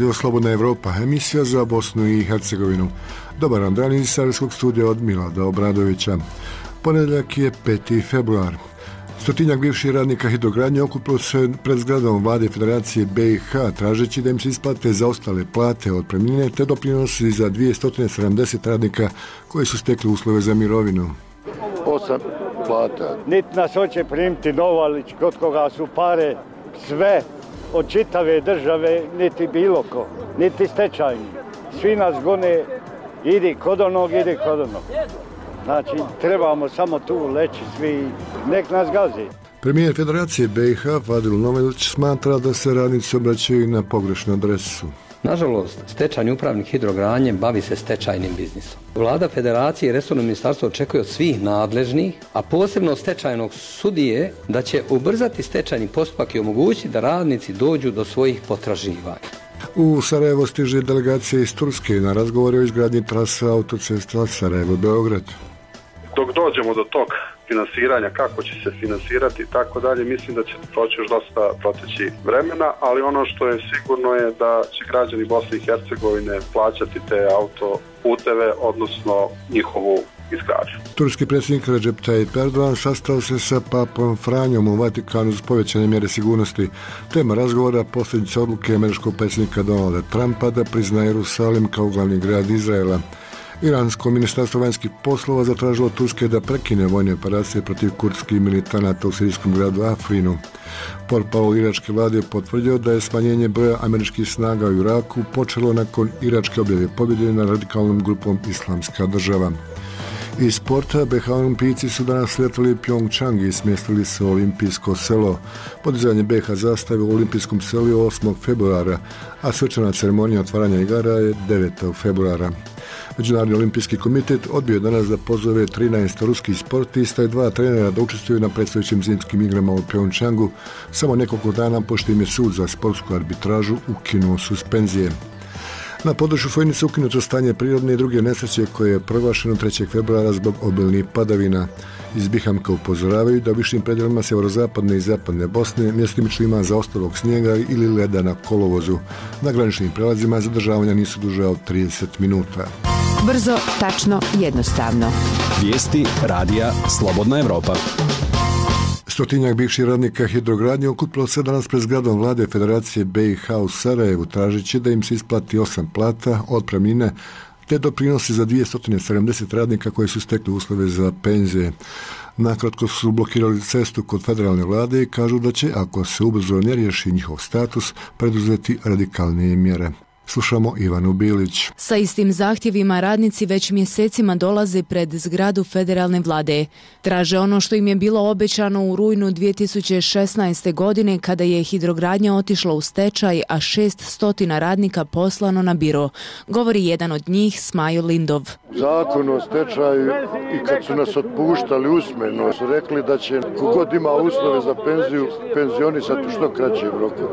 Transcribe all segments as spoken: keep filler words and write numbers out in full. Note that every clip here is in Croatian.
Radio Slobodna Evropa, emisija za Bosnu i Hercegovinu. Dobar dan, dan iz Sarajevskog studija od Milada Obradovića. Ponedjeljak je peti februar. Stotinjak bivših radnika hidrogradnje okupilo se pred zgradom Vlade Federacije B i H tražeći da im se isplate zaostale plate, otpremnine te doprinosi za dvjesto sedamdeset radnika koji su stekli uslove za mirovinu. Osam plata. Niti nas hoće primiti Novalić, kod koga su pare sve od čitave države, niti bilo ko, niti stečajni. Svi nas gone, idi kod onog, idi kod onog. Znači, trebamo samo tu leći svi, nek nas gazi. Premijer Federacije B i H Fadil Novelić smatra da se radnici obraćaju na pogrešnu adresu. Nažalost, stečajni upravnik hidrogradnje bavi se stečajnim biznisom. Vlada Federacije i resorno ministarstvo očekuje od svih nadležnih, a posebno od stečajnog sudije, da će ubrzati stečajni postupak i omogućiti da radnici dođu do svojih potraživanja. U Sarajevo stiže delegacija iz Turske na razgovore o izgradnji trasa autocesta Sarajevo-Beograd. Dok dođemo do tog finansiranja, kako će se finansirati i tako dalje, mislim da će proći još dosta proteći vremena, ali ono što je sigurno je da će građani Bosne i Hercegovine plaćati te autoputeve, odnosno njihovu izgradnju. Turski predsjednik Recep Tayyip Erdogan sastao se sa papom Franjom u Vatikanu uz povećane mjere sigurnosti. Tema razgovora posljedica odluke američkog predsjednika Donalda Trumpa da prizna Jerusalim kao glavni grad Izraela. Iransko ministarstvo vanjskih poslova zatražilo Turske da prekine vojne operacije protiv kurdskih militanata u sirijskom gradu Afrinu. Portparol iračke vlade je potvrdio da je smanjenje broja američkih snaga u Iraku počelo nakon iračke objave pobjede nad radikalnom grupom Islamska država. Iz sporta B H olimpijci su danas letali Pyeongchang i smjestili se u olimpijsko selo. Podizanje B H zastave u olimpijskom selu je osmog februara, a svečana ceremonija otvaranja igara je devetog februara. Međunarodni olimpijski komitet odbio je danas da pozove trinaest ruskih sportista i dva trenera da učestvuju na predstojećim zimskim igrama u Pyeongchangu, samo nekoliko dana pošto im je sud za sportsku arbitražu ukinuo suspenzije. Na području Fojnice ukinuto stanje prirodne i druge nesreće koje je proglašeno trećeg februara zbog obilnih padavina. Iz Bihamka upozoravaju da u višim predjelima sjeverozapadne i zapadne Bosne mjestimično ima zaostalog snijega ili leda na kolovozu. Na graničnim prelazima zadržavanja nisu duže od trideset minuta. Brzo, tačno, jednostavno. Vijesti radija Slobodna Evropa. Stotinjak bivših radnika hidrogradnje okupilo se danas pred zgradom Vlade Federacije B i H u Sarajevu tražeći da im se isplati osam plata, otpremnine te doprinosi za dvjesto sedamdeset radnika koji su stekli uslove za penzije. Nakratko su blokirali cestu kod federalne vlade i kažu da će, ako se ubrzo ne riješi njihov status, preduzeti radikalnije mjere. Slušamo Ivanu Bilić. Sa istim zahtjevima radnici već mjesecima dolaze pred zgradu federalne vlade. Traže ono što im je bilo obećano u rujnu dvije tisuće šesnaeste. godine kada je hidrogradnja otišla u stečaj, a šest stotina radnika poslano na biro. Govori jedan od njih, Smajo Lindov. Zakon o stečaju i kad su nas otpuštali usmeno su rekli da će kogod ima uslove za penziju penzionisati u što kraćem roku.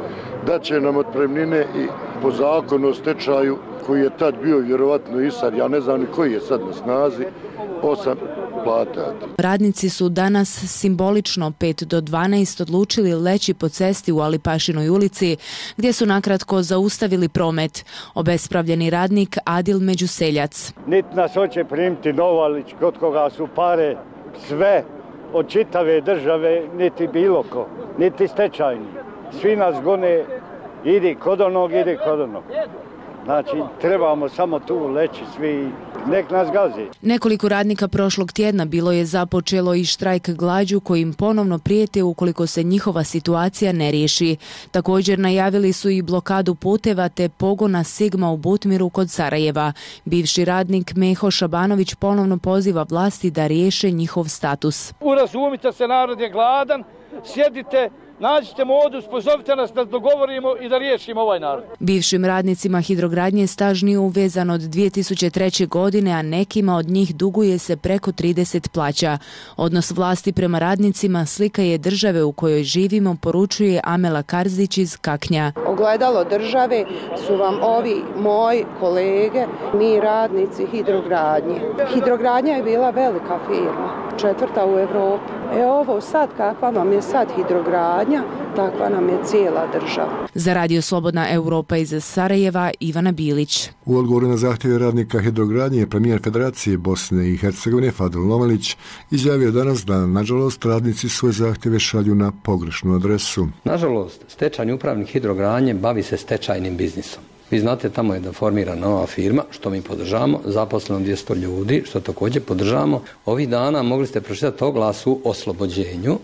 Da će nam otpremnine i po zakonu o stečaju koji je tad bio vjerovatno i sad, ja ne znam ni koji je sad na snazi, osam plata. Radnici su danas simbolično pet do dvanaest odlučili leći po cesti u Alipašinoj ulici, gdje su nakratko zaustavili promet. Obespravljeni radnik Adil Međuseljac. Niti nas hoće primiti Novalić, kod koga su pare sve od čitave države, niti bilo ko, niti stečajni. Svi nas gone, idi kod onog, idi kod onog. Znači, trebamo samo tu leći svi, nek nas gazi. Nekoliko radnika prošlog tjedna bilo je započelo i štrajk glađu kojim ponovno prijete ukoliko se njihova situacija ne riješi. Također najavili su i blokadu puteva te pogona Sigma u Butmiru kod Sarajeva. Bivši radnik Meho Šabanović ponovno poziva vlasti da riješe njihov status. Urazumite se, narod je gladan, sjedite, nađite modus, pozovite nas da dogovorimo i da riješimo ovaj narod. Bivšim radnicima hidrogradnje staž nije uvezan od dvije tisuće treće. godine, a nekima od njih duguje se preko trideset plaća. Odnos vlasti prema radnicima slika je države u kojoj živimo, poručuje Amela Karzić iz Kaknja. Ogledalo države su vam ovi moji kolege, mi radnici hidrogradnje. Hidrogradnja je bila velika firma, četvrta u Evropi. E ovo sad, kakva vam je sad hidrogradnja, takva nam je cijela država. Za Radio Slobodna Europa iz Sarajeva, Ivana Bilić. U odgovoru na zahtjeve radnika hidrogradnje premijer Federacije Bosne i Hercegovine Fadil Novalić izjavio danas da, nažalost, radnici svoje zahtjeve šalju na pogrešnu adresu. Nažalost, stečajni upravnik hidrogradnje bavi se stečajnim biznisom. Vi znate, tamo je da formira nova firma, što mi podržamo, zaposleno dvjesto ljudi, što također podržamo. Ovih dana mogli ste pročitati oglas u oslobođenju,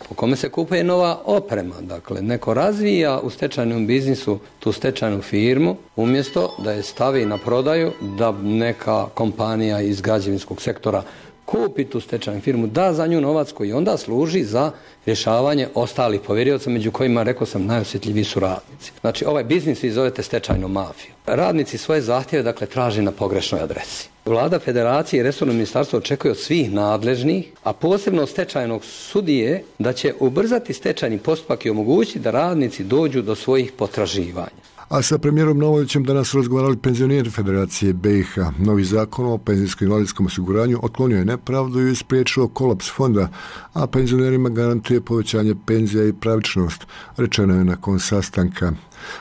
po kome se kupuje nova oprema. Dakle, neko razvija u stečajnom biznisu tu stečajnu firmu, umjesto da je stavi na prodaju, da neka kompanija iz građevinskog sektora kupi tu stečajnu firmu, da za nju novac koji onda služi za rješavanje ostalih povjerioca, među kojima, rekao sam, najosjetljiviji su radnici. Znači, ovaj biznis vi zovete stečajnom mafiju. Radnici svoje zahtjeve, dakle, traže na pogrešnoj adresi. Vlada Federacije i resorno ministarstvo očekuje od svih nadležnih, a posebno od stečajnog sudije, da će ubrzati stečajni postupak i omogućiti da radnici dođu do svojih potraživanja. A sa premijerom Novalićem danas su razgovarali penzioneri Federacije B i H. Novi zakon o penzijskom invalidskom osiguranju otklonio je nepravdu i spriječio kolaps fonda, a penzionerima garantuje povećanje penzija i pravičnost, rečeno je nakon sastanka.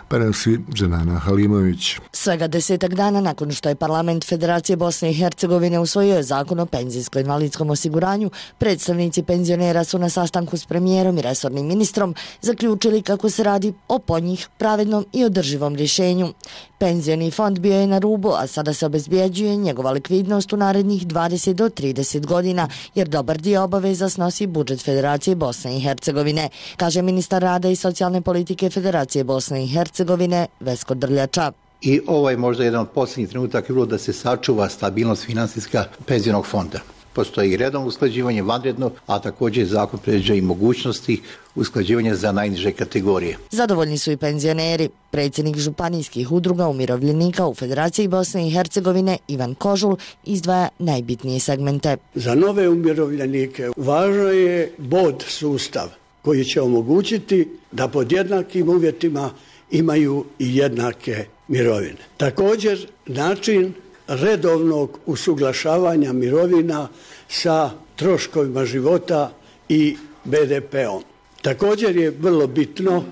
Prenosi Dženana Halimović. Svega desetak dana nakon što je parlament Federacije Bosne i Hercegovine usvojio zakon o penzijskom invalidskom osiguranju, predstavnici penzionera su na sastanku s premijerom i resornim ministrom zaključili kako se radi o po njih pravednom i održivom rješenju. Penzioni fond bio je na rubu, a sada se obezbjeđuje njegova likvidnost u narednih dvadeset do trideset godina, jer dobar dio obaveza snosi budžet Federacije Bosne i Hercegovine, kaže ministar rada i socijalne politike Federacije Bosne i Hercegovine Vesko Drljača. I ovo je možda jedan od posljednjih trenutaka bilo da se sačuva stabilnost finansijska penzionog fonda. Postoji i redovno usklađivanje, vanredno, a također zakon predviđa i mogućnosti usklađivanja za najniže kategorije. Zadovoljni su i penzioneri. Predsjednik županijskih udruga umirovljenika u Federaciji Bosne i Hercegovine Ivan Kožul izdvaja najbitnije segmente. Za nove umirovljenike važno je bod sustav koji će omogućiti da pod jednakim uvjetima imaju i jednake mirovine. Također, način redovnog usuglašavanja mirovina sa troškovima života i be de peom. Također je vrlo bitno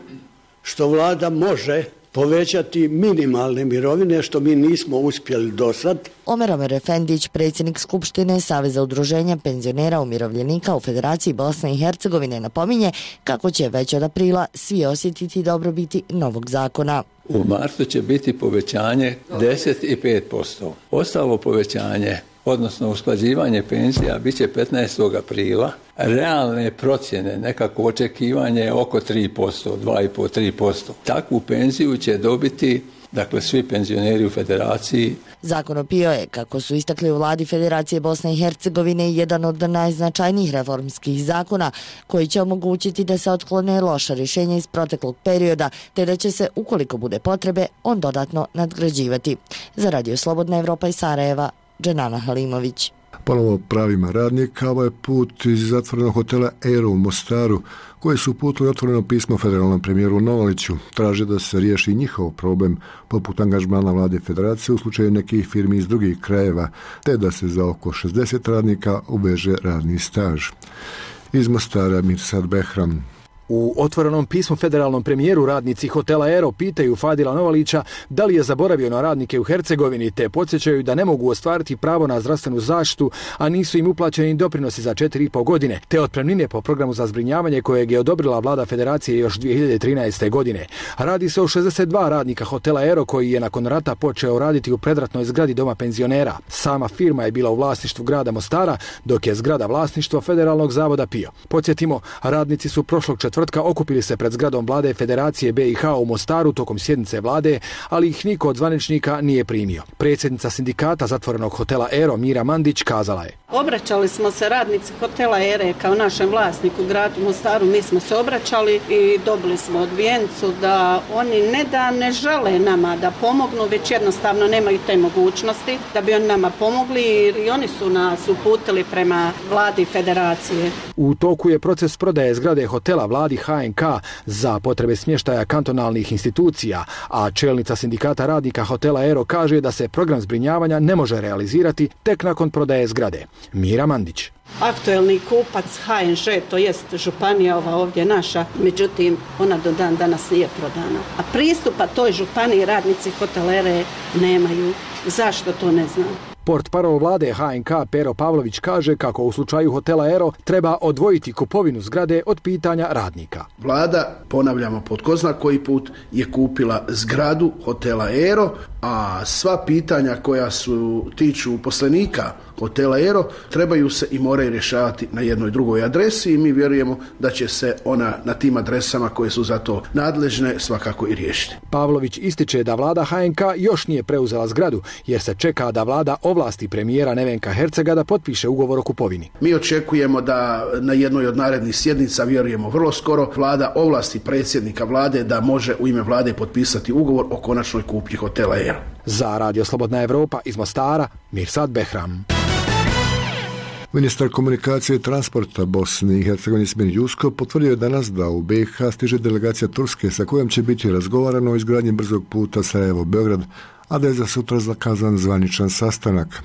što vlada može povećati minimalne mirovine, što mi nismo uspjeli do sad. Omer Omer Efendić, predsjednik Skupštine Saveza udruženja penzionera umirovljenika u Federaciji Bosne i Hercegovine, napominje kako će već od aprila svi osjetiti dobrobiti novog zakona. U martu će biti povećanje deset i pet posto. Ostalo povećanje, odnosno usklađivanje penzija, bit će petnaestog aprila. Realne procjene, nekako očekivanje oko tri posto, dva i pol do tri posto. Takvu penziju će dobiti, dakle, svi penzioneri u Federaciji. Zakon o P I O je, kako su istakli u vladi Federacije Bosne i Hercegovine, jedan od najznačajnijih reformskih zakona koji će omogućiti da se otklone loša rješenja iz proteklog perioda, te da će se, ukoliko bude potrebe, on dodatno nadgrađivati. Za Radio Slobodna Evropa iz Sarajeva, Dženana Halimović. Ponovo pravima radnika, ovaj put iz zatvorenog hotela Aero u Mostaru, koji su uputili otvoreno pismo federalnom premijeru Novaliću, traže da se riješi njihov problem poput angažmana vlade Federacije u slučaju nekih firmi iz drugih krajeva, te da se za oko šezdeset radnika uveže radni staž. Iz Mostara Mirsad Behram. U otvorenom pismu federalnom premijeru radnici hotela Aero pitaju Fadila Novalića da li je zaboravio na radnike u Hercegovini, te podsjećaju da ne mogu ostvariti pravo na zdravstvenu zaštitu, a nisu im uplaćeni doprinosi za četiri i pol godine, te otpremnine po programu za zbrinjavanje kojeg je odobrila vlada Federacije još dvije hiljade trinaeste. godine. Radi se o šezdeset dva radnika hotela Aero koji je nakon rata počeo raditi u predratnoj zgradi doma penzionera. Sama firma je bila u vlasništvu grada Mostara, dok je zgrada vlasništvo Federalnog zavoda P I O. Podsjetimo, radnici su prošlog četvrtka okupili se pred zgradom vlade Federacije B i H u Mostaru tokom sjednice vlade, ali ih niko od zvaničnika nije primio. Predsjednica sindikata zatvorenog hotela Aero Mira Mandić kazala je: Obraćali smo se radnici hotela Aero kao našem vlasniku gradu Mostaru, mi smo se obraćali i dobili smo odbijencu da oni ne da ne žele nama da pomognu, već jednostavno nemaju te mogućnosti da bi oni nama pomogli i oni su nas uputili prema vladi Federacije. U toku je proces prodaje zgrade hotela vlade vladi H N K za potrebe smještaja kantonalnih institucija, a čelnica sindikata radnika hotela Aero kaže da se program zbrinjavanja ne može realizirati tek nakon prodaje zgrade. Mira Mandić. Aktuelni kupac H N Ž, to jest županija ova ovdje naša, međutim ona do dan danas nije prodana. A pristupa toj županiji radnici hotela Aero nemaju. Zašto, to ne znam. Portparol vlade H N K Pero Pavlović kaže kako u slučaju hotela Aero treba odvojiti kupovinu zgrade od pitanja radnika. Vlada, ponavljamo po tko zna koji put, je kupila zgradu hotela Aero, a sva pitanja koja su tiču uposlenika hotela Aero trebaju se i moraju rješavati na jednoj drugoj adresi i mi vjerujemo da će se ona na tim adresama koje su za to nadležne svakako i riješiti. Pavlović ističe da vlada H N K još nije preuzela zgradu jer se čeka da vlada ovlasti premijera Nevenka Hercega da potpiše ugovor o kupovini. Mi očekujemo da na jednoj od narednih sjednica, vjerujemo vrlo skoro, vlada ovlasti predsjednika vlade da može u ime vlade potpisati ugovor o konačnoj kupnji hotela Aero. Za Radio Slobodna Evropa iz Mostara, Mirsad Behram. Ministar komunikacije i transporta Bosne i Hercegovine Ismir Jusko potvrdio je danas da u B i H stiže delegacija Turske sa kojom će biti razgovarano o izgradnji brzog puta Sarajevo-Beograd, a da je za sutra zakazan zvaničan sastanak.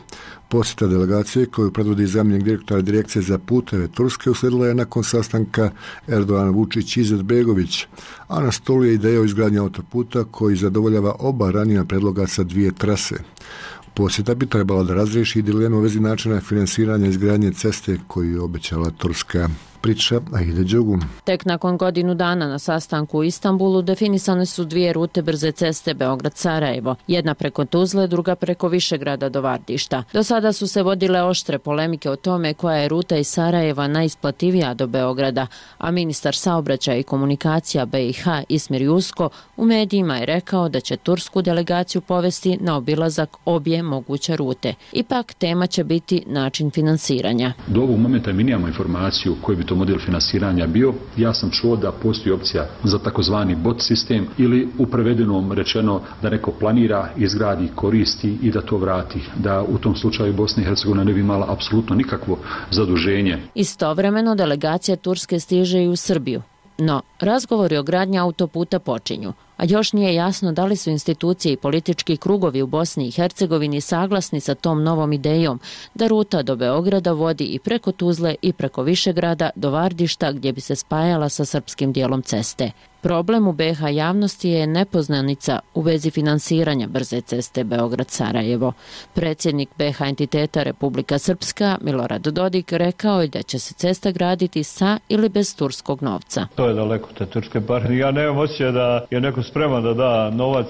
Posjeta delegacije koju predvodi zamjenik direktora Direkcije za puteve Turske uslijedila je nakon sastanka Erdogan Vučić Izetbegović, a na stolu je ideja o izgradnji autoputa koji zadovoljava oba ranija predloga sa dvije trase. Posjeta bi trebala da razriješi dilemu u vezi načina finansiranja izgradnje ceste koju je obećala Turska. Priča Aida Đogum. Tek nakon godinu dana na sastanku u Istanbulu definisane su dvije rute brze ceste Beograd-Sarajevo. Jedna preko Tuzle, druga preko Višegrada do Vardišta. Do sada su se vodile oštre polemike o tome koja je ruta iz Sarajeva najisplativija do Beograda, a ministar saobraćaja i komunikacija B i H Ismir Jusko u medijima je rekao da će tursku delegaciju povesti na obilazak obje moguće rute. Ipak tema će biti način finansiranja. Do ovog momenta mi nemamo informaciju koji bi to model finansiranja bio. Ja sam čuo da postoji opcija za takozvani bot sistem ili u prevedenom rečeno da neko planira, izgradi, koristi i da to vrati. Da u tom slučaju Bosna i Hercegovina ne bi imala apsolutno nikakvo zaduženje. Istovremeno delegacija Turske stiže i u Srbiju. No, razgovori o gradnji autoputa počinju, a još nije jasno da li su institucije i politički krugovi u Bosni i Hercegovini saglasni sa tom novom idejom da ruta do Beograda vodi i preko Tuzle i preko Višegrada do Vardišta gdje bi se spajala sa srpskim dijelom ceste. Problem u B i H javnosti je nepoznanica u vezi finansiranja brze ceste Beograd-Sarajevo. Predsjednik B i H entiteta Republika Srpska, Milorad Dodik, rekao je da će se cesta graditi sa ili bez turskog novca. To je daleko te turske pare. Ja nemam osjećaj da je neko spreman da da novac,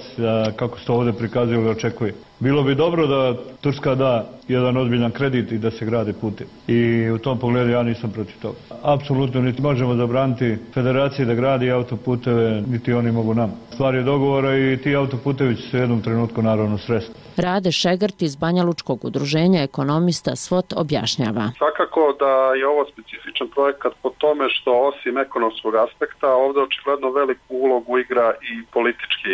kako se to ovdje prikazuje ili očekuje. Bilo bi dobro da Turska da jedan ozbiljan kredit i da se grade putevi. I u tom pogledu ja nisam protiv toga. Apsolutno niti možemo zabraniti federaciji da gradi autoputeve, niti oni mogu nam. Stvar je dogovora i ti autoputevi će se u jednom trenutku naravno sresti. Rade Šegrt iz Banjalučkog udruženja ekonomista SWOT objašnjava. Svakako da je ovo specifičan projekat po tome što osim ekonomskog aspekta ovdje očigledno veliku ulogu igra i politički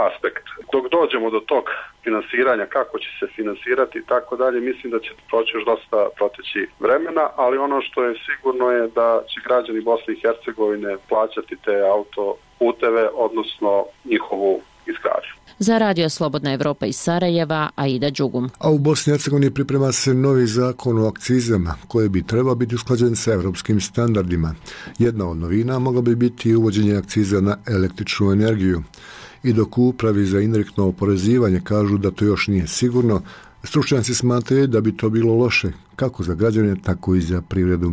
aspekt. Dok dođemo do tog finansiranja, kako će se finansirati i tako dalje, mislim da će proći još dosta proteći vremena, ali ono što je sigurno je da će građani Bosne i Hercegovine plaćati te autoputeve, odnosno njihovu izgradnju. Za Radio Slobodna Evropa iz Sarajeva, Aida Đugum. A u Bosni i Hercegovini priprema se novi zakon o akcizama, koji bi trebao biti usklađen sa evropskim standardima. Jedna od novina mogla bi biti uvođenje akciza na električnu energiju. I dok u upravi za indirektno oporezivanje kažu da to još nije sigurno, stručnjaci smatraju da bi to bilo loše, kako za građane, tako i za privredu.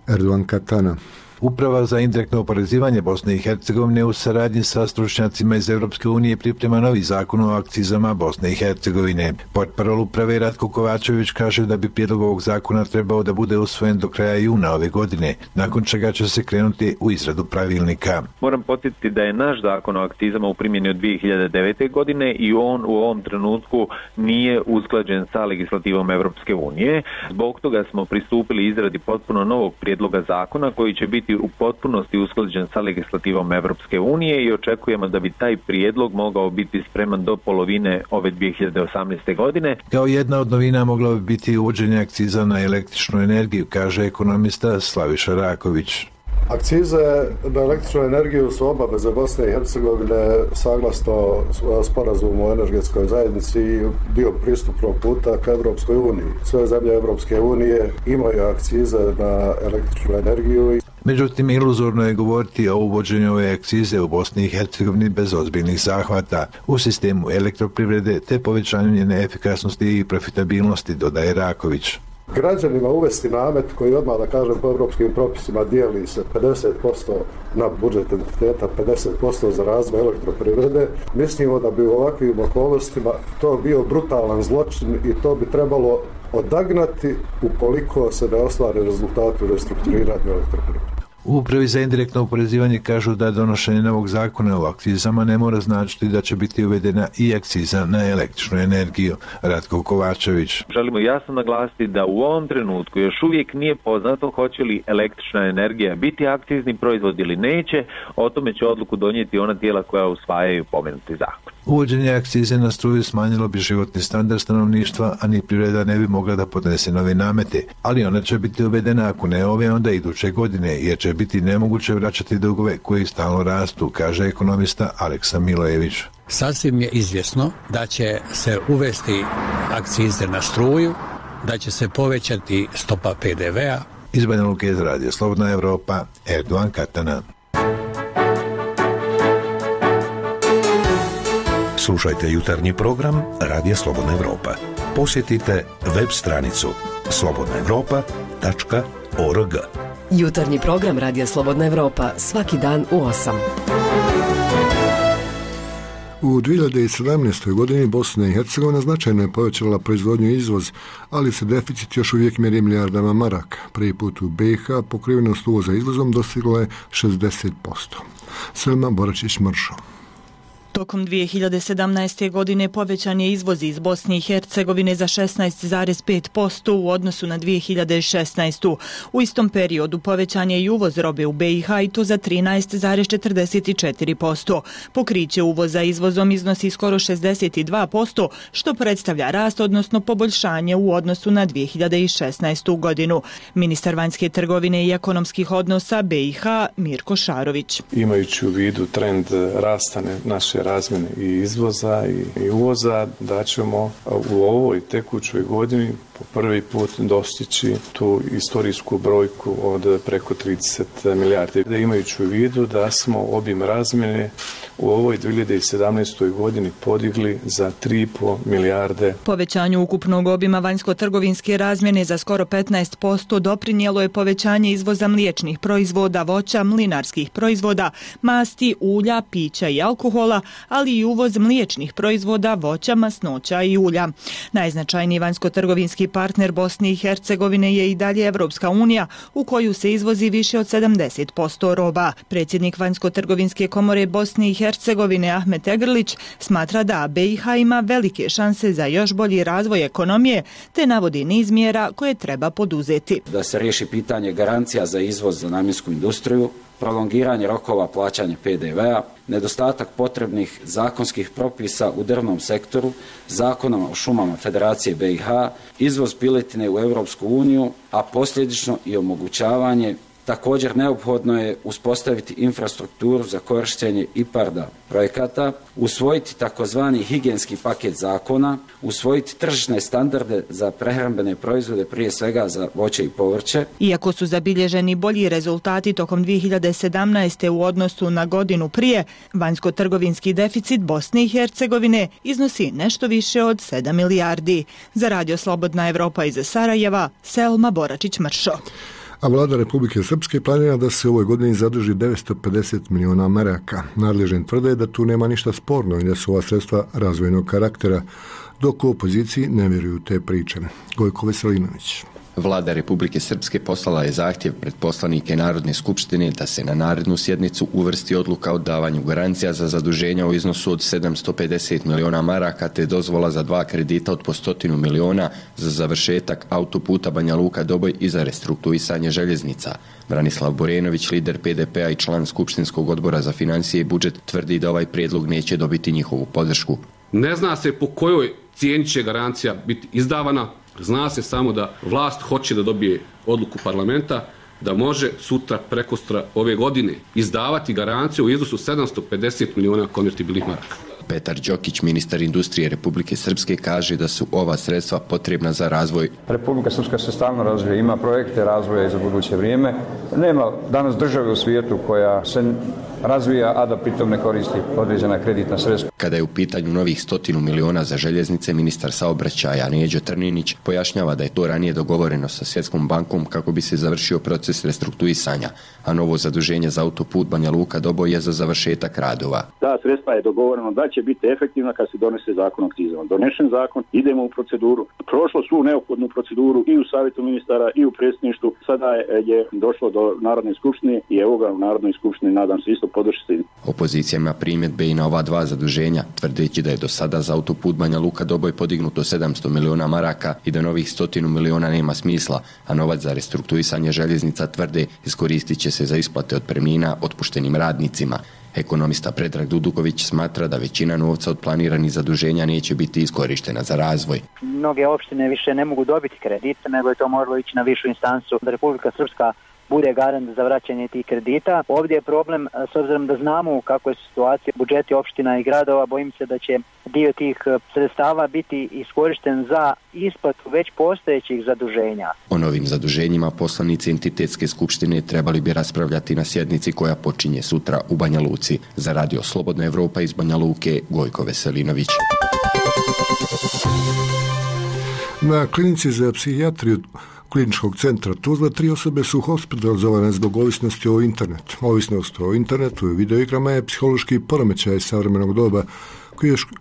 Erdogan Katana. Uprava za indirektno oporezivanje Bosne i Hercegovine u saradnji sa stručnjacima iz Europske unije priprema novi zakon o akcizama Bosne i Hercegovine. Portparol uprave Ratko Kovačević kaže da bi prijedlog ovog zakona trebao da bude usvojen do kraja juna ove godine, nakon čega će se krenuti u izradu pravilnika. Moram podsjetiti da je naš zakon o akcizama u primjeni od dvije hiljade devete. godine i on u ovom trenutku nije usklađen sa legislativom Europske unije. Zbog toga smo pristupili izradi potpuno novog prijedloga zakona koji će biti u potpunosti usklađen sa legislativom Evropske unije i očekujemo da bi taj prijedlog mogao biti spreman do polovine ove dvije hiljade osamnaeste. godine. Kao jedna od novina mogla bi biti uvođenje akciza na električnu energiju, kaže ekonomista Slaviša Raković. Akcize na električnu energiju su obaveze Bosne i Hercegovine saglasno sporazumu o energetskoj zajednici i dio pristupnog puta ka Evropskoj uniji. Sve zemlje Evropske unije imaju akcize na električnu energiju. Međutim, iluzorno je govoriti o uvođenju ove akcize u Bosni i Hercegovini bez ozbiljnih zahvata u sistemu elektroprivrede te povećanju njene efikasnosti i profitabilnosti, dodaje Raković. Građanima uvesti namet koji odmah, da kažem, po evropskim propisima dijeli se pedeset posto na budžet entiteta, pedeset posto za razvoj elektroprivrede. Mislimo da bi u ovakvim okolnostima to bio brutalan zločin i to bi trebalo odagnati ukoliko se ne ostvari rezultati u restrukturiranju elektroprivrede. U Upravi za indirektno oporezivanje kažu da donošenje novog zakona o akcizama ne mora značiti da će biti uvedena i akciza na električnu energiju. Ratko Kovačević. Želimo jasno naglasiti da u ovom trenutku još uvijek nije poznato hoće li električna energija biti akcizni proizvod ili neće. O tome će odluku donijeti ona tijela koja usvajaju pomenuti zakon. Uvođenje akcize na struju smanjilo bi životni standard stanovništva, a ni privreda ne bi mogla da podnese nove namete. Ali ona će biti uvedena ako ne ove, onda iduće godine, jer će biti nemoguće vraćati dugove koji stalno rastu, kaže ekonomista Aleksa Milojević. Sasvim je izvjesno da će se uvesti akcize na struju, da će se povećati stopa P D V-a. Iz Banja Luke za Radio Slobodna Evropa, Erdogan Katana. Slušajte jutarnji program Radija Slobodna Evropa. Posjetite web stranicu slobodna evropa tačka org. Jutarnji program Radija Slobodna Evropa svaki dan u osam. U dvije hiljade sedamnaestoj. godini Bosna i Hercegovina značajno je povećala proizvodnju i izvoz, ali se deficit još uvijek mjeri milijardama maraka. Prvi put u B i H pokrivenost uvoza izvozom dostigla je šezdeset posto. Selma Boračić-Mršo. Tokom dvije hiljade sedamnaeste. godine povećan je izvoz iz Bosne i Hercegovine za šesnaest zarez pet posto u odnosu na dvije hiljade šesnaestu. U istom periodu povećan je i uvoz robe u B i H i to za trinaest zarez četrdeset četiri posto. Pokriće uvoza izvozom iznosi skoro šezdeset dva posto, što predstavlja rast, odnosno poboljšanje u odnosu na dvije hiljade šesnaestu. godinu. Ministar vanjske trgovine i ekonomskih odnosa B i H Mirko Šarović. Imajući u vidu trend rastane naše razmjene i izvoza i uvoza, da ćemo u ovoj tekućoj godini po prvi put dostići tu istorijsku brojku od preko trideset milijardi. Da imajući u vidu da smo obim razmjene u ovoj dvije hiljade sedamnaestoj. godini podigli za tri i po milijarde. Povećanju ukupnog obima vanjsko-trgovinske razmjene za skoro petnaest posto doprinijelo je povećanje izvoza mliječnih proizvoda, voća, mlinarskih proizvoda, masti, ulja, pića i alkohola, ali i uvoz mliječnih proizvoda, voća, masnoća i ulja. Najznačajniji vanjsko-trgovinski partner Bosne i Hercegovine je i dalje Evropska unija, u koju se izvozi više od sedamdeset posto roba. Predsjednik vanjsko-trgovinske komore Bosne i Hercegovine Ahmet Egrlić smatra da B i H ima velike šanse za još bolji razvoj ekonomije, te navodi niz mjera koje treba poduzeti. Da se riješi pitanje garancija za izvoz za namjensku industriju, prolongiranje rokova plaćanja P D V-a, nedostatak potrebnih zakonskih propisa u drvnom sektoru, zakonom o šumama Federacije B i H, izvoz piletine u Europsku uniju, a posljedično i omogućavanje. Također neophodno je uspostaviti infrastrukturu za korištenje IPARD-a projekata, usvojiti takozvani higijenski paket zakona, usvojiti tržišne standarde za prehrambene proizvode, prije svega za voće i povrće. Iako su zabilježeni bolji rezultati tokom dvije hiljade sedamnaeste. u odnosu na godinu prije, vanjsko-trgovinski deficit Bosne i Hercegovine iznosi nešto više od sedam milijardi. Za Radio Slobodna Evropa iz Sarajeva, Selma Boračić-Mršo. A vlada Republike Srpske planira da se u ovoj godini zadrži devetsto pedeset miliona maraka. Nadležni tvrde da tu nema ništa sporno i da su ova sredstva razvojnog karaktera, dok u opoziciji ne vjeruju te priče. Gojko Veselinović. Vlada Republike Srpske poslala je zahtjev pred poslanike Narodne skupštine da se na narednu sjednicu uvrsti odluka o davanju garancija za zaduženja u iznosu od sedamsto pedeset miliona maraka te dozvola za dva kredita od po stotinu miliona za završetak autoputa Banja Luka-Doboj i za restrukturisanje željeznica. Branislav Borenović, lider P D P-a i član Skupštinskog odbora za financije i budžet, tvrdi da ovaj prijedlog neće dobiti njihovu podršku. Ne zna se po kojoj cijeni će garancija biti izdavana. Zna se samo da vlast hoće da dobije odluku parlamenta da može sutra, prekostra ove godine izdavati garanciju u iznosu sedamsto pedeset miliona konvertibilnih maraka. Petar Đokić, ministar industrije Republike Srpske, kaže da su ova sredstva potrebna za razvoj. Republika Srpska se stalno razvija, ima projekte razvoja za buduće vrijeme. Nema danas države u svijetu koja se razvija, a da pritom ne koristi određena kreditna sredstva. Kada je u pitanju novih stotinu miliona za željeznice, ministar saobraćaja Neđo Trninić pojašnjava da je to ranije dogovoreno sa Svjetskom bankom kako bi se završio proces restrukturisanja, a novo zaduženje za autoput Banja Luka-Doboj je za završetak radova. Ta sredstva je dogovoreno da će biti efektivna kad se donese zakon o akcizama. Donešen zakon, idemo u proceduru. Prošlo svu neophodnu proceduru i u savjetu ministara i u predsjedništvu. Sada je, je došlo do Narodne skupštine i evo ga u Narodnoj skupštini, nadam se, isto podržati. Opozicija ima primjedbe i na ova dva zaduženja, tvrdeći da je do sada za autoput Banja Luka-Doboj podignuto sedamsto miliona maraka i da novih stotinu miliona nema smisla, a novac za restrukturisanje željeznica, tvrde, iskoristit će se za isplate otpremnina otpuštenim radnicima. Ekonomista Predrag Duduković smatra da većina novca od planiranih zaduženja neće biti iskorištena za razvoj. Mnoge opštine više ne mogu dobiti kredite, nego je to moralo ići na višu instancu da Republika Srpska bude garant za vraćanje tih kredita. Ovdje je problem, s obzirom da znamo kako je situacija budžeti opština i gradova, bojim se da će dio tih sredstava biti iskorišten za isplatu već postojećih zaduženja. O novim zaduženjima poslanici entitetske skupštine trebali bi raspravljati na sjednici koja počinje sutra u Banja Luci. Za Radio Slobodna Evropa iz Banja Luke, Gojko Veselinović. Na klinici za psihijatriju Kliničkog centra Tuzla tri osobe su hospitalizovane zbog ovisnosti o internetu. Ovisnost o internetu i videoigrama je psihološki poremećaj savremenog doba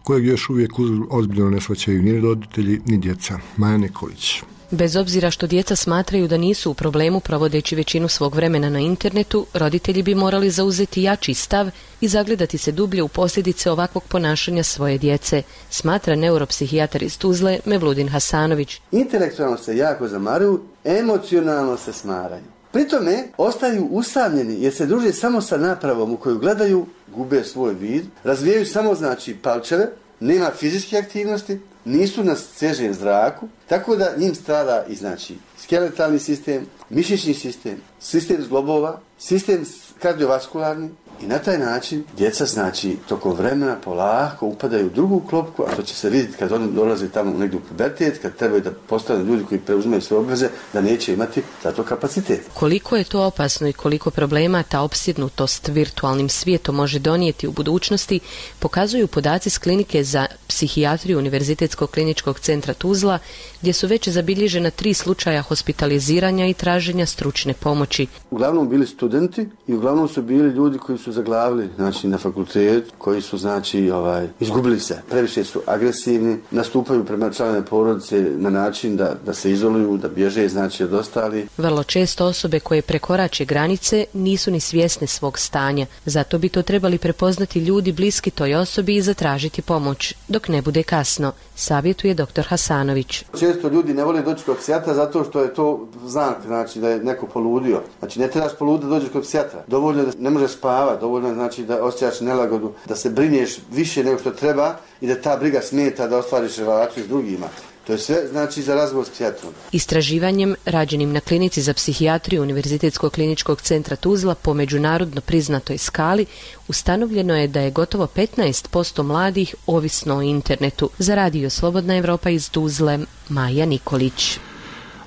kojeg još uvijek ozbiljno ne shvaćaju ni roditelji ni djeca. Maja Nikolić. Bez obzira što djeca smatraju da nisu u problemu provodeći većinu svog vremena na internetu, roditelji bi morali zauzeti jači stav i zagledati se dublje u posljedice ovakvog ponašanja svoje djece, smatra neuropsihijatar iz Tuzle Mevludin Hasanović. Intelektualno se jako zamaruju, emocionalno se smaraju. Pri tome ostaju usamljeni jer se druže samo sa napravom u koju gledaju, gube svoj vid, razvijaju samo znači palčeve, nema fizičke aktivnosti, nisu na svježem zraku, tako da njim strada i znači skeletalni sistem, mišićni sistem, sistem zglobova, sistem kardiovaskularni i na taj način djeca znači tokom vremena polako upadaju u drugu klopku, a to će se vidjeti kad oni dolaze tamo negdje u pubertet, kad trebaju da postanu ljudi koji preuzimaju svoje obveze, da neće imati za to kapacitet. Koliko je to opasno i koliko problema ta opsjednutost virtualnim svijetom može donijeti u budućnosti, pokazuju podaci s klinike za psihijatriju Univerzitetskog kliničkog centra Tuzla, gdje su već zabilježena tri slučaja hospitaliziranja i traženja stručne pomoći. Uglavnom bili studenti i uglavnom su bili ljudi koji su zaglavili znači na fakultetu, koji su znači ovaj izgubili se, previše su agresivni, nastupaju prema članovima porodice na način da da se izoluju, da bježe znači od ostalih. Vrlo često osobe koje prekorače granice nisu ni svjesne svog stanja, zato bi to trebali prepoznati ljudi bliski toj osobi i zatražiti pomoć dok ne bude kasno, savjetuje doktor Hasanović. Često ljudi ne vole doći kod psijatra zato što je to znak znači da je neko poludio. Znači ne trebaš poluditi da dođeš kod psijatra. Dovoljno da ne može spavati, dovoljno znači da osjećaš nelagodu, da se brinješ više nego što treba i da ta briga smeta da ostvariš relaciju s drugima. To je sve znači za razgovor s psijatrom. Istraživanjem rađenim na klinici za psihijatriju Univerzitetskog kliničkog centra Tuzla po međunarodno priznatoj skali ustanovljeno je da je gotovo petnaest posto mladih ovisno o internetu. Za Radio Slobodna Evropa iz Tuzle, Maja Nikolić.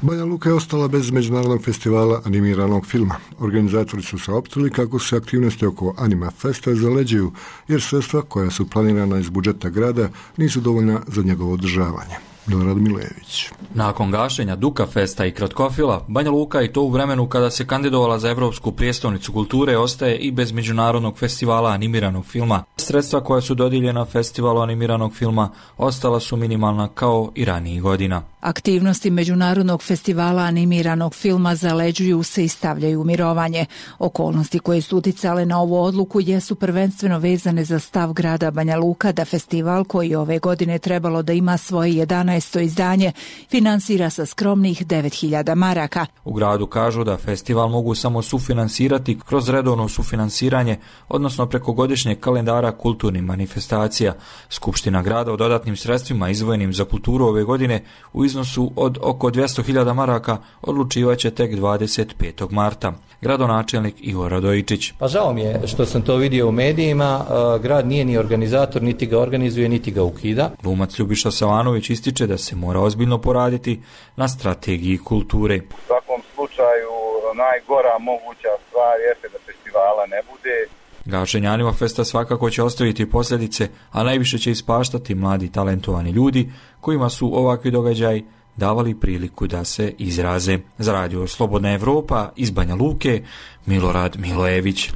Banja Luka je ostala bez međunarodnog festivala animiranog filma. Organizatori su saopštili kako se aktivnosti oko Anima Festa zaleđuju, jer sredstva koja su planirana iz budžeta grada nisu dovoljna za njegovo održavanje. Milorad Milević. Nakon gašenja Duka Festa i Kratkofila, Banja Luka i to u vremenu kada se kandidovala za Evropsku prijestolnicu kulture ostaje i bez međunarodnog festivala animiranog filma. Sredstva koja su dodijeljena festivalu animiranog filma ostala su minimalna kao i ranijih godina. Aktivnosti Međunarodnog festivala animiranog filma zaleđuju se i stavljaju u mirovanje. Okolnosti koje su uticale na ovu odluku jesu prvenstveno vezane za stav grada Banja Luka da festival, koji ove godine trebalo da ima svoje jedanaesto izdanje, finansira sa skromnih devet hiljada maraka. U gradu kažu da festival mogu samo sufinansirati kroz redovno sufinansiranje, odnosno preko godišnjeg kalendara kulturnih manifestacija. Skupština grada o dodatnim sredstvima izdvojenim za kulturu ove godine u iznosu iznosu od oko dvjesto hiljada maraka odlučivaće tek dvadeset petog marta. Gradonačelnik Ivo Radojičić. Pa žao mi je što sam to vidio u medijima, grad nije ni organizator, niti ga organizuje, niti ga ukida. Glumac Ljubiša Savanović ističe da se mora ozbiljno poraditi na strategiji kulture. U svakom slučaju najgora moguća stvar jeste da festivala ne bude. Gašenje Anima Festa svakako će ostaviti posljedice, a najviše će ispaštati mladi talentovani ljudi kojima su ovakvi događaji davali priliku da se izraze. Za radio Slobodna Evropa iz Banja Luke, Milorad Milojević.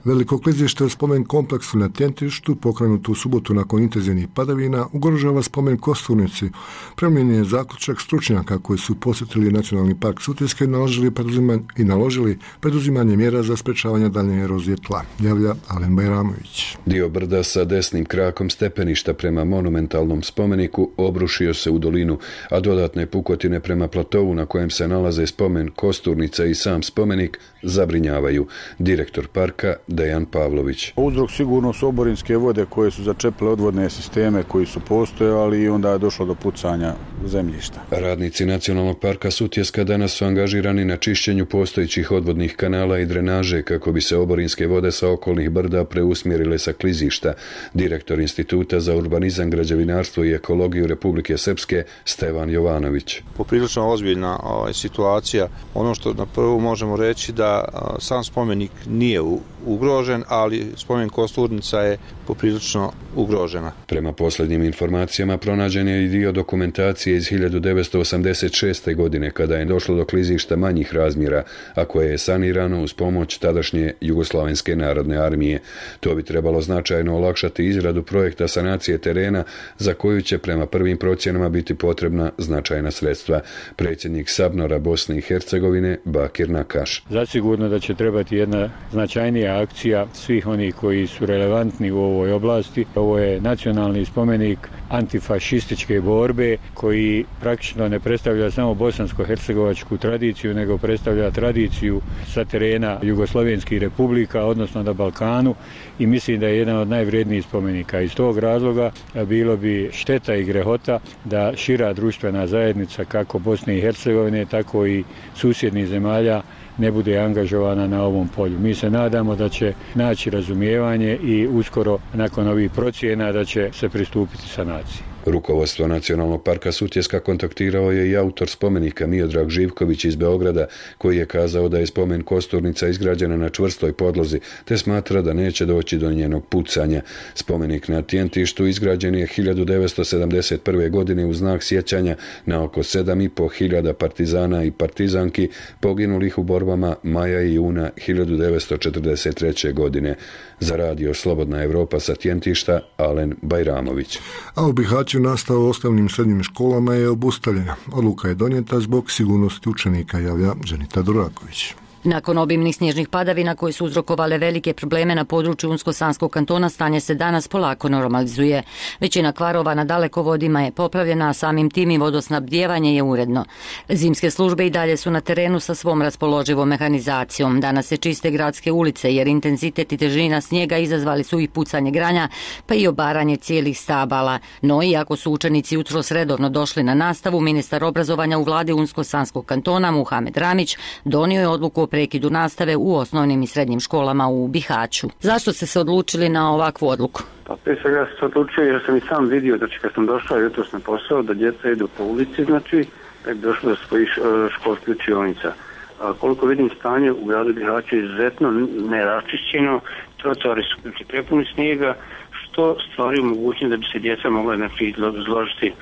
Veliko klizište u spomen kompleksu na Tjentištu, pokrenuto u subotu nakon intenzivnih padavina, ugrožava spomen Kosturnici. Premijenjen je zaključak stručnjaka koji su posjetili Nacionalni park Sutjeska i naložili, i naložili preduzimanje mjera za sprečavanje daljnje erozije tla. Javlja Alen Bajramović. Dio brda sa desnim krakom stepeništa prema monumentalnom spomeniku obrušio se u dolinu, a dodatne pukotine prema platovu na kojem se nalaze spomen Kosturnica i sam spomenik zabrinjavaju. Direktor parka Dejan Pavlović. Uzrok sigurno su oborinske vode koje su začepile odvodne sisteme koji su postojali i onda je došlo do pucanja zemljišta. Radnici Nacionalnog parka Sutjeska danas su angažirani na čišćenju postojećih odvodnih kanala i drenaže kako bi se oborinske vode sa okolnih brda preusmjerile sa klizišta. Direktor Instituta za urbanizam, građevinarstvo i ekologiju Republike Srpske Stevan Jovanović. Poprilično ozbiljna ovaj, situacija. Ono što na prvu možemo reći da a, sam spomenik nije u ugrožen, ali spomen Kosturnica je poprilično ugrožena. Prema posljednjim informacijama pronađen je i dio dokumentacije iz hiljadu devetsto osamdeset šeste. godine kada je došlo do klizišta manjih razmjera, a koje je sanirano uz pomoć tadašnje Jugoslavenske narodne armije. To bi trebalo značajno olakšati izradu projekta sanacije terena za koju će prema prvim procjenama biti potrebna značajna sredstva. Predsjednik Sabnora Bosne i Hercegovine Bakir Nakaš. Zasigurno da će trebati jedna značajnija akcija svih onih koji su relevantni u ovoj oblasti. Ovo je nacionalni spomenik antifašističke borbe koji praktično ne predstavlja samo bosansko-hercegovačku tradiciju, nego predstavlja tradiciju sa terena Jugoslovenskih republika, odnosno na Balkanu, i mislim da je jedan od najvrednijih spomenika. Iz tog razloga bilo bi šteta i grehota da šira društvena zajednica kako Bosne i Hercegovine, tako i susjednih zemalja ne bude angažovana na ovom polju. Mi se nadamo da će naći razumijevanje i uskoro nakon ovih procjena da će se pristupiti sanaciji. Rukovodstvo Nacionalnog parka Sutjeska kontaktirao je i autor spomenika Miodrag Živković iz Beograda, koji je kazao da je spomen Kosturnica izgrađena na čvrstoj podlozi, te smatra da neće doći do njenog pucanja. Spomenik na Tjentištu izgrađen je hiljadu devetsto sedamdeset prve. godine u znak sjećanja na oko sedam i po hiljada partizana i partizanki poginulih u borbama maja i juna hiljadu devetsto četrdeset treće. godine. Za radio Slobodna Evropa sa Tjentišta, Alen Bajramović. A u Bihaću nastava u osnovnim srednjim školama je obustavljena. Odluka je donijeta zbog sigurnosti učenika, javlja Dženita Duraković. Nakon obimnih snježnih padavina koje su uzrokovale velike probleme na području Unsko-Sanskog kantona, stanje se danas polako normalizuje. Većina kvarova na dalekovodima je popravljena, a samim tim i vodosnabdijevanje je uredno. Zimske službe i dalje su na terenu sa svom raspoloživom mehanizacijom. Danas se čiste gradske ulice jer intenzitet i težina snijega izazvali su i pucanje granja, pa i obaranje cijelih stabala. No, iako su učenici jutros redovno došli na nastavu, ministar obrazovanja u vladi Unsko-Sanskog kantona Muhamed Ramić donio je odluku o prekidu nastave u osnovnim i srednjim školama u Bihaću. Zašto ste se odlučili na ovakvu odluku? Pa prije svega ja sam se odlučio jer sam i sam vidio, znači kad sam došao jutros na posao, da djeca idu po ulici, znači da je došlo do svojih školskih učionica. A koliko vidim stanje u gradu Bihaću je izuzetno neraščišćeno, trotoari su znači, prepuni snijega, što stvari mogućnost da bi se djeca mogla znači, izložiti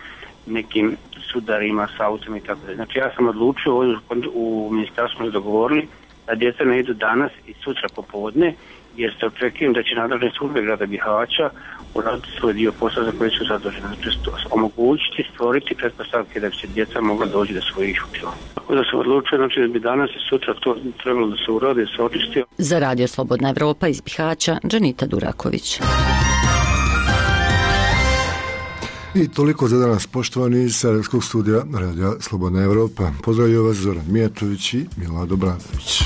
nekim sudarima s autom i tako da. Znači ja sam odlučio, u ministarstvu smo dogovorili da djeca ne idu danas i sutra popodne, jer se očekujem da će nadležne službe grada Bihaća uraditi svoj dio posla za koji su zaduženi. Znači omogućiti, stvoriti pretpostavke da bi se djeca mogla doći do svojih učila. Tako da sam odlučio, znači da bi danas i sutra to trebalo da se uradi, da se očisti. Za radio Slobodna Evropa iz Bihaća, Dženita Duraković. I toliko za danas, poštovani iz Sarajevskog studija Radija Slobodna Evropa. Pozdravljaju vas Zoran Mijatović i Milado Bradović.